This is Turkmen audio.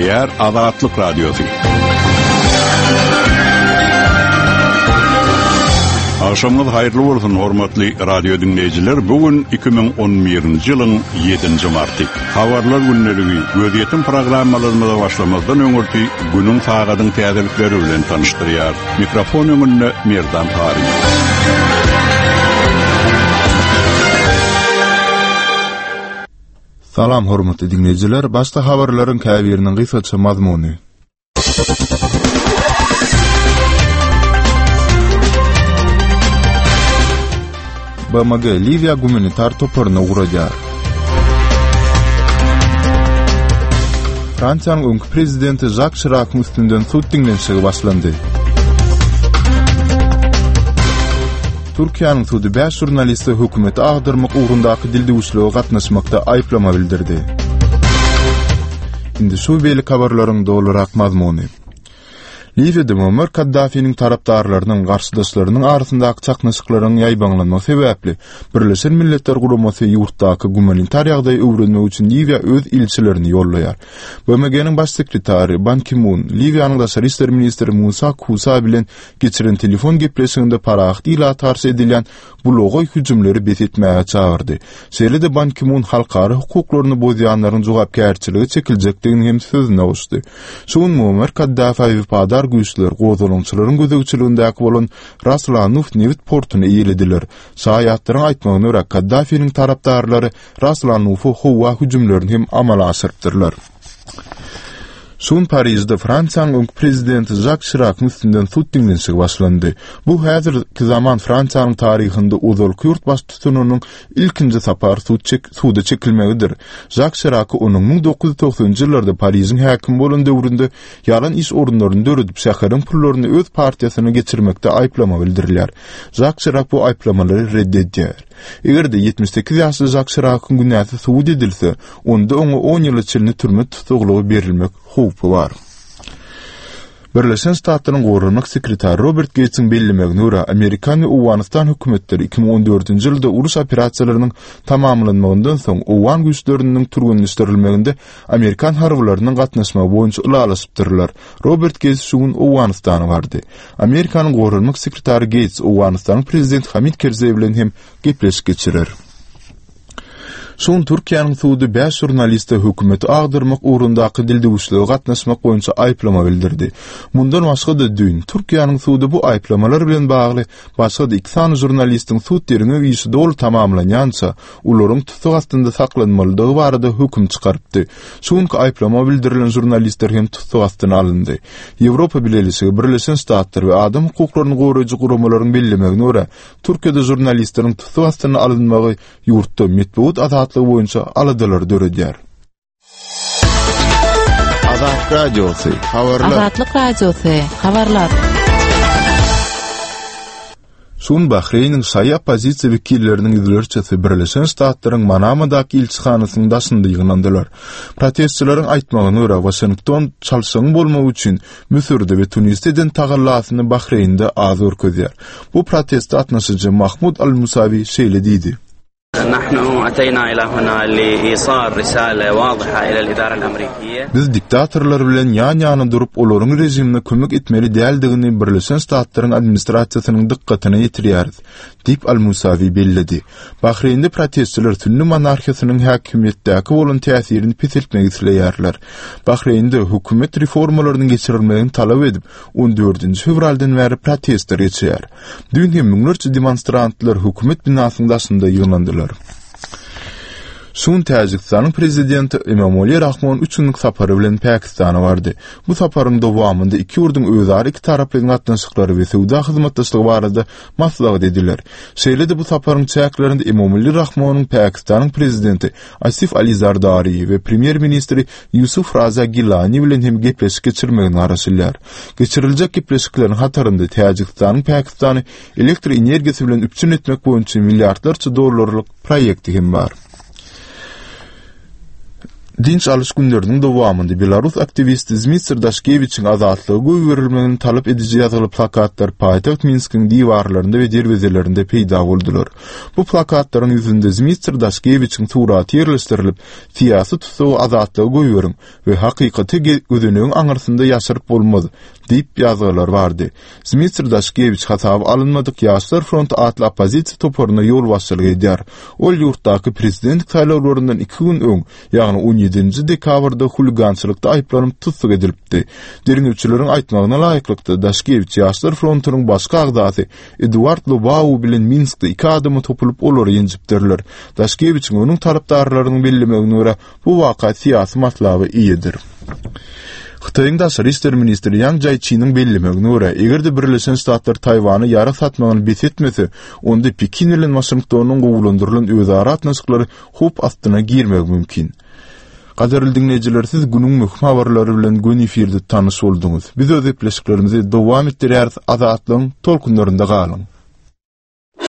Gepleýär Azatlyk Radiosy. Agşamyňyz haýyrly bolsun, hormatly radio diňleýjiler. Bu gün 2011-nji ýylyň 7-nji marty. Habarlar gündeligi, gözýetim programmalarymyza başlamazdan öňürti günüň sagadyň täzelikleri bilen tanyşdyrýar. Mikrofon öňünde Merdan Taryýew. Salam hormatly diňleýjiler, başda habarlaryň käbiriniň gysgaça mazmuny. BMG Liwiýa gumanitar toparyny ugradýar. Fransiýanyň öňki prezidenti Žak Şirakyň üstünden sud diňlenişigi başlandy. Türkiýäniň sudy bäş žurnaliste hökümeti agdarmak ugrundaky dildüwüşlige gatnaşmakda aýyplama bildirdi. Indi şu beýleki habarlaryň dolurak mazmuny. Liwiýada Muammar Kaddafiniň tarapdarlarynyň garşydaşlarynyň arasyndaky çaknyşyklaryň ýaýbaňlanmagy sebäpli Birleşen Milletler Guramasy ýurtdaky gumanitar ýagdaýy öwrenmek üçin Liwiýa öz ilçilerini ýollaýar. BMG-niň Baş sekretary Ban Ki-mun Liwiýanyň daşary işler ministri Musa Kusa bilen geçiren telefon gepleşiginde parahat ilata garşy edilýän bulagaý hüjümleri bes etmäge çagyrdy. Şeýle-de Ban Ki-mun halkara hukuklaryny bozýanlaryň jogapkärçilige çekiljekdigini hem sözüne goşdy. Şu gün Muammar Kaddafä wepadar güýçler gozgalaňçylaryň gözegçiligindäki bolan Ras Lanuf nebit portuny eýelediler. Şaýatlaryň aýtmagyna görä, Kaddafiniň tarapdarlary Ras Lanufa howa hüjümlerini hem amala aşyrypdyrlar. Şu gün Parižde Fransiýanyň öňki prezidenti Žak Şirakyň üstünden sud diňlenişigi başlandy. Bu häzirki zaman Fransiýanyň taryhynda ozalky ýurt baştutanynyň ilkinji sapar sud çek suda çekilmegidir. Žak Şiraky onuň 1990-njy ýyllarda Parižiň häkimi bolan döwründe ýalan iş orunlaryny döredip, şäheriň pullaryny öz partiýasyna geçirmekde aýyplama bildirilýär. Žak Şirak bu aýyplamalary red edýär. Eger-de 78 ýaşly Žak Şirakyň günäsi subut edilse, onda oňa on ýyla çenli türme tussaglygy berilmek howpy bar. Birleşen Ştatlaryň Goranmak sekretary Robert Geýtsiň bellemegine görä, amerikan we Owganystan hökümetleri 2014-nji ýylda uruş operasiýalarynyň tamamlanmagyndan soň owgan güýçleriniň türgenleşdirilmeginde amerikan harbylarynyň gatnaşmagy boýunça ylalaşypdyrlar. Robert Geýts şu gün Owganystana bardy. Amerikanyň Goranmak sekretary Geýts Owganystanyň prezidenti Hamid Kerzeý bilen hem gepleşik geçirer. Şu gün Türkiýäniň sudy bäş žurnaliste hökümeti agdarmak ugrundaky dildüwüşlige gatnaşmak boýunça aýyplama bildirdi. Mundan başga-da düýn Türkiýäniň sudy bu aýyplamalar bilen bagly başga-da iki sany žurnalistiň sud derňew işi doly tamamlanýança olaryň tussag astynda saklanmalydygy barada höküm çykarypdy. Şu günki aýyplama bildirilen žurnalistler hem tussag astyna alyndy. Ýewropa Bileleşigi, Birleşen Ştatlar we adam hukuklaryny goraýjy guramalaryň bellemegine görä, Türkiýede žurnalistleriň tussag astyna alynmagy ýurtda metbugat azatlygy boýunça aladalary döredýär. Azatlyk Radiosy, habarlar. Azatlyk Radiosy, habarlar. Şu gün Bahreýniň şaýy oppozisiýa wekilleriniň ýüzlerçesi Birleşen Ştatlaryň Manamadaky ilçihanasynyň daşynda ýygnandylar. Protestçileriň aýtmagyna görä, Waşington çalşygyň bolmagy üçin Müsürde we Tunisde eden tagallasyny Bahreýnde az görkezýär. Bu proteste gatnaşyjy Mahmud al-Musawi şeýle diýdi. Biz diktatorlar bilen ýan-ýana durup, olaryň režimine kömek etmeli däldigini Birleşen Ştatlaryň administrasiýasynyň dykgatyna ýetirýäris, diýip, al-Musawi belledi. Bahreýnde protestçiler sünni monarhiýasynyň häkimiýetdäki bolan täsirini peseltmek isleýärler. Bahreýnde hökümet reformalarynyň geçirilmegini talap edip, on dördünji fewraldan bäri protestler geçýär. Düýn hem müňlerçe demonstrantlar hökümet binasynyň daşynda ýygnandylar. Şu gün Täjigistanyň prezidenti Emomali Rahmon üç günlük sapary bilen Pakistana bardy. Bu saparyň dowamynda iki ýurduň özara ikitaraplaýyn gatnaşyklary we söwda hyzmatdaşlygy barada maslahat ediler. Şeýle-de bu saparyň çäklerinde Emomali Rahmonyň Pakistanyň prezidenti Asif Ali Zardari we premýer-ministri Ýusuf Raza Gilani bilen hem gepleşik geçirmegine garaşylýar. Geçiriljek gepleşikleriň hatarynda Täjigistanyň Pakistany elektr energiýasy bilen üpjün etmek boýunça milliardlarça dollarlyk proýekti hem bar. Dynç alyş günleriniň dowamynda belarus aktiwisti Zmitser Daşkewiçiň azatlyga goýberilmegini talap ediji ýazgyly plakatlar paýtagt Minskiň diwarlarynda we derwezelerinde peýda boldular. Bu plakatlaryň ýüzünde Zmitser Daşkewiçiň suraty ýerleşdirilip, Syýasy tussagy azatlyga goýberiň we Hakykaty gözenegiň aňyrsynda ýaşyryp bolmaz diýip ýazgylar bardy. Zmitser Daşkewiç hasaba alynmadyk Ýaşlar fronty atly oppozisiýa toparyna ýolbaşçylyk edýär. Ol ýurtdaky prezidentlik saýlawlaryndan iki gün öň, ýagny on ýedinji dekabrda huligançylykda aýyplanyp tussag edilipdi. Derňewçileriň aýtmagyna laýyklykda, Daşkewiç Ýaşlar frontunyň başky agzasy Eduard Lobau bilen Minskde iki adama topulyp, olary ýenjipdirler. Daşkewiçiň onuň tarapdarlarynyň bellemegine görä, Bu waka syýasy matlaba eýedir. Hytaýyň daşary işler ministri Ýaň Jaýçiniň bellemegine görä, eger-de Birleşen Ştatlar Taýwana ýarag satmagyny bes etmese, onda Pekin bilen Waşingtonyň gowulandyrylan özara gatnaşyklary howp astyna girmegi mümkin. Gadyrly diňleýjiler, siz günüň möhüm habarlary bilen göni efirde tanyş bolduňyz. Biz öz gepleşiklerimizi dowam etdirýäris, Azatlygyň tolkunlarynda galyň!